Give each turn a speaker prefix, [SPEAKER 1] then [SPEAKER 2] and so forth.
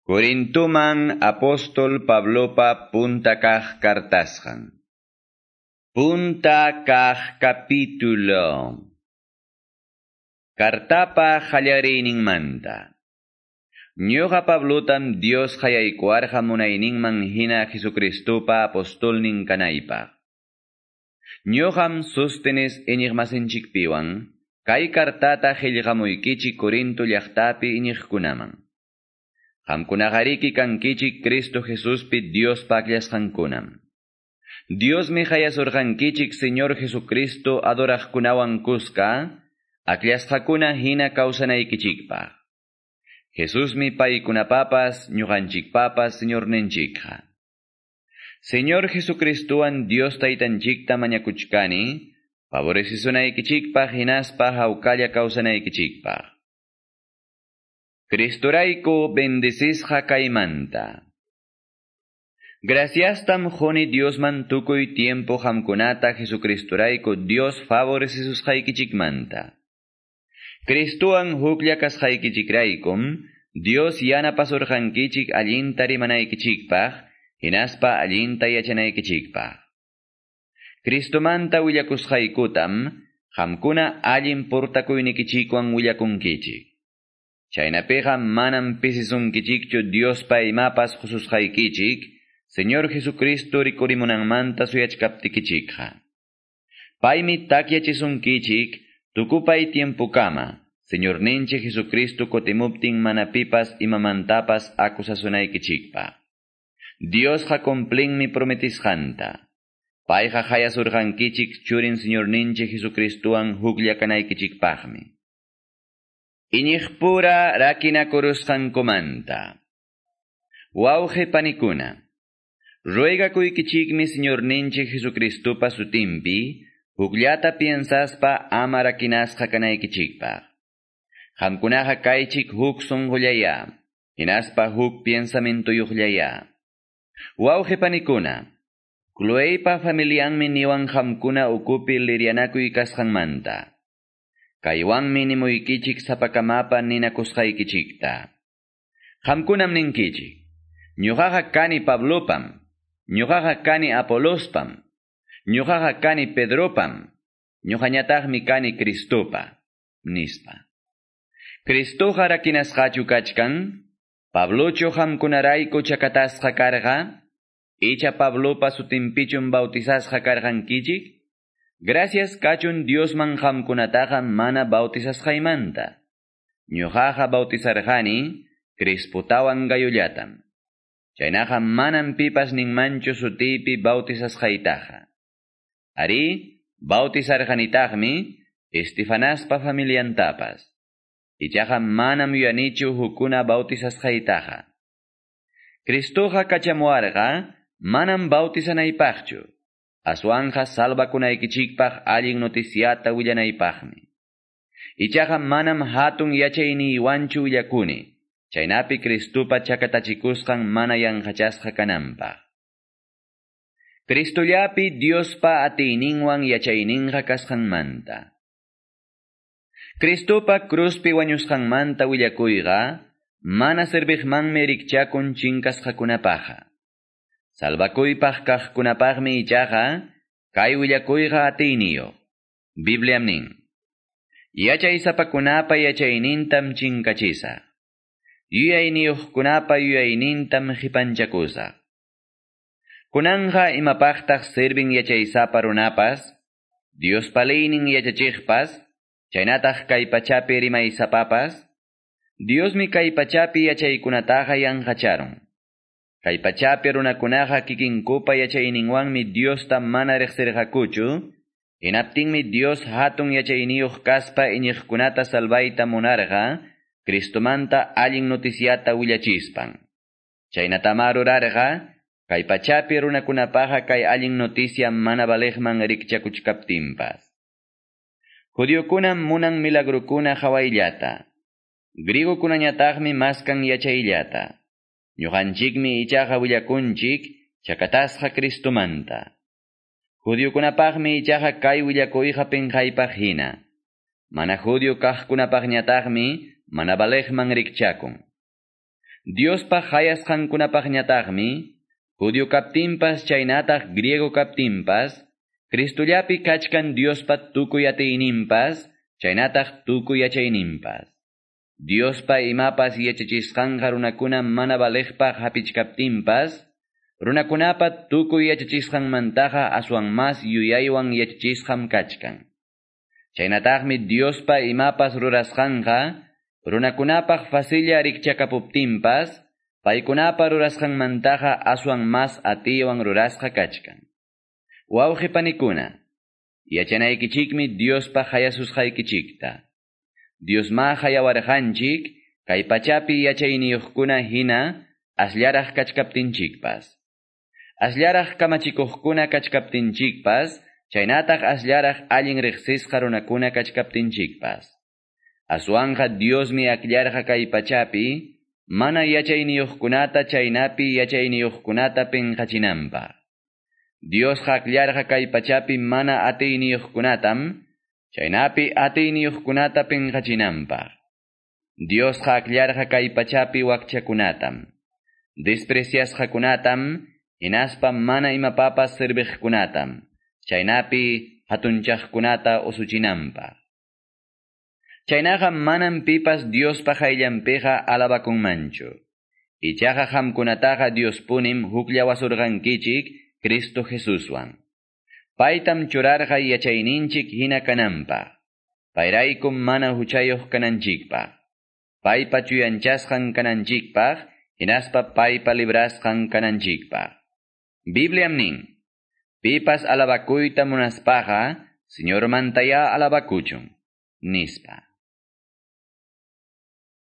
[SPEAKER 1] Corintuman apóstol Pablopa punta kaq kartasqan. Punta kaq capítulo. Kartapa qallariyninmanta. Ñuqa Pablotam Dios qayaykuwarqa munayninman hina Jesucristopa apostolnin kanaypaq. Ñuqam Sóstenes iñiqmasinchikpiwan kay kartata qillqamuykichik Corinto llaqtapi iñiqkunaman. Qamkunaqariki kankichik Cristo Jesuspi Diospa akllasqankunam. Diosmi qayasurqankichik Señor Jesucristo adoraqkunawan kuska, akllashqakuna hina kawsanaykichikpaq. Jesusmi paykunapapas ñuqanchikpapas Señorninchikqa. Señor Jesucristowan Dios Taytanchikta mañakuchkani, favorecisunaykichikpaq hinaspa hawkalla kawsanaykichikpaq. Cristorayku bendecisqa kaymanta. Graciastam quni Diosman tukuy tiempo qamkunata Jesucristorayku Dios favorecisusqaykichikmanta. Cristowan huklla kasqaykichikraykum, Dios yanapasurqankichik allinta rimanaykichikpaq, hinaspa allinta yachanaykichikpaq. Cristomanta willakusqaykutam, qamkuna allin portakuynikichikwan willakunkichik. Chaynapiqa manam pisisunkichikchu Diospa imapas qususqaykichik, Señor Jesucristo rikurimunanmanta suyachkaptikichikqa. Paymi takyachisunkichik tukupay tiempokama, Señorninchik Jesucristo kutimuptin mana pipas imamantapas acusasunaykichikpaq. Diosqa cumplinmi prometisqanta. Payqa qayasurqankichik churin Señorninchik Jesucristowan huklla kanaykichikpaqmi. Iñiqpura rakinakurusqankumanta. Wawqi panikuna, ruegakuykichikmi Señorninchik Jesucristopa sutinpi, hukllata piensaspa ama rakinasqa kanaykichikpaq. Qamkunaqa kaychik huk sunqullaya, hinaspa huk pensamientuyuqllaya. Wawqi panikuna, Cloeipa familianmi niwan qamkuna ukupi lirianakuy kasqanmanta. Kaywanmi nimuykichik sapakamapa ninakusqaykichikta. Qamkunam ninkichik, ñuqaqa kani Pablopam, ñuqaqa kani Apolospam, ñuqaqa kani Pedropam, ñuqañataqmi kani Cristopa, nispa. Cristoqa rakinasqachu kachkan, Pablochu qamkunarayku chakatasqa karqa, icha Pablopa sutinpichum bautizasqa karqankichik? Gracias kachun Diosman qamkunataqa mana bautizasqaymanta. Ñuqaqa bautizarqani Crispotawan Gayollatam. Chaynaqa manam pipas ninmanchu sutiypi bautizasqaytaqa. Arí, bautizarqanitaqmi Estefanaspa familiantapas. Ichaqa manam yuyanichu hukuna bautizasqaytaqa. Cristoqa kachamuwarqa manam bautizanaypaqchu. Aswanqa salvakunaykichikpaq allin noticiata willanaypaqmi. Ichaqa manam hatun yachayniywanchu willakuni, chaynapi Cristopa chakatachikusqan mana yanqachasqa kananpaq. Cristollapi Diospa atiyninwan yachayninqa kasqanmanta. Cristopa cruzpi wañusqanmanta willakuyqa, mana serviqmanmi rikchakun chinkasqakunapaqqa. Salvakuypaq kaqkunapaqmi ichaqa, kay willakuyqa atiyniyuq. Bibliam nin: Yachaysapakunapa yachaynintam chinkachisaq. Yuyayniyuqkunapa yuyaynintam qipanchakusaq. Kunanqa imapaqtaq servin yachaysapa runapas, Diospa leynin yachachiqpas, chaynataq kay pachapi rimaysapapas, Diosmi kay pachapi yachaykunataqa yanqacharun. Kay pachapi runakunaqa kikinkupa yachayninwanmi Diosta mana riqsirqakuchu, hinaptinmi Dios hatun yachayniyuq kaspa iñiqkunata salvayta munarqa, Cristomanta allin noticiata willachispan. Chaynatamá rurarqa, kay pachapi runakunapaqa kay allin noticia mana valeqman rikchakuchkaptinpas. Judiokunam munan milagrukuna qhawayllata. Griegokunañataqmi maskan yachayllata. Ñuqanchikmi ichaqa willakunchik chakatasqa Cristomanta. Judiokunapaqmi ichaqa kay willakuyqa pinqaypaq hina. Mana judio kaqkunapaqñataqmi mana valeqman rikchakun. Diospa qayasqankunapaqñataqmi, judío kaptinpas chaynataq griego kaptinpas, Cristollapi kachkan Diospa tukuy atiyninpas, chaynataq tukuy yachayninpas. Diospa imapas yachachisqanqa runakuna mana valeqpaq hapichkaptinpas, runakunapa tukuy yachachisqanmantaqa aswan mas yuyaywan yachachisqam kachkan. Chaynataqmi Diospa imapas rurasqanqa, runakunapaq facilla rikchakapuptinpas, paykunapa rurasqanmantaqa aswan mas atiywan rurasqa kachkan. Wawqi panikuna, yachanaykichikmi Diospa hayasusqaykichikta. Diosma hayawarqanchik, kay pachapi yachayniyuqkuna hina asllaraq kachkaptinchikpas. Asllaraq kamachikuqkuna kachkaptinchikpas, chaynataq asllaraq allin riqsisqa runakuna kachkaptinchikpas. Aswanqa Diosmi akllarqa kay pachapi, mana yachayniyuqkunata chaynapi yachayniyuqkunata pinqachinanpaq. Diosqa akllarqa kay pachapi mana atiyniyuqkunatam, chaynapi atiyniyuqkunata pinqachinanpaq. Diosqa akllarqa kay pachapi wakchakunatam, despreciasqakunatam, hinaspa mana imapapas serviqkunatam, chaynapi hatunchaqkunata usuchinanpaq. Chaynaqa manam pipas Diospa hayllanpiqa alabakunmanchu. Ichaqa qamkunataqa Diospunim hukllawasurqankichik Cristo Jesuswan. Paytam churarqa yachayninchik hina kananpaq. Payraykum mana huchayuq kananchikpaq. Paypa chuyanchasqan kananchikpaq, hinaspa paypa librasqan kananchikpaq. Bibliam nin, pipas alabakuyta munaspaqa, Señormantayá alabakuchun, nispa.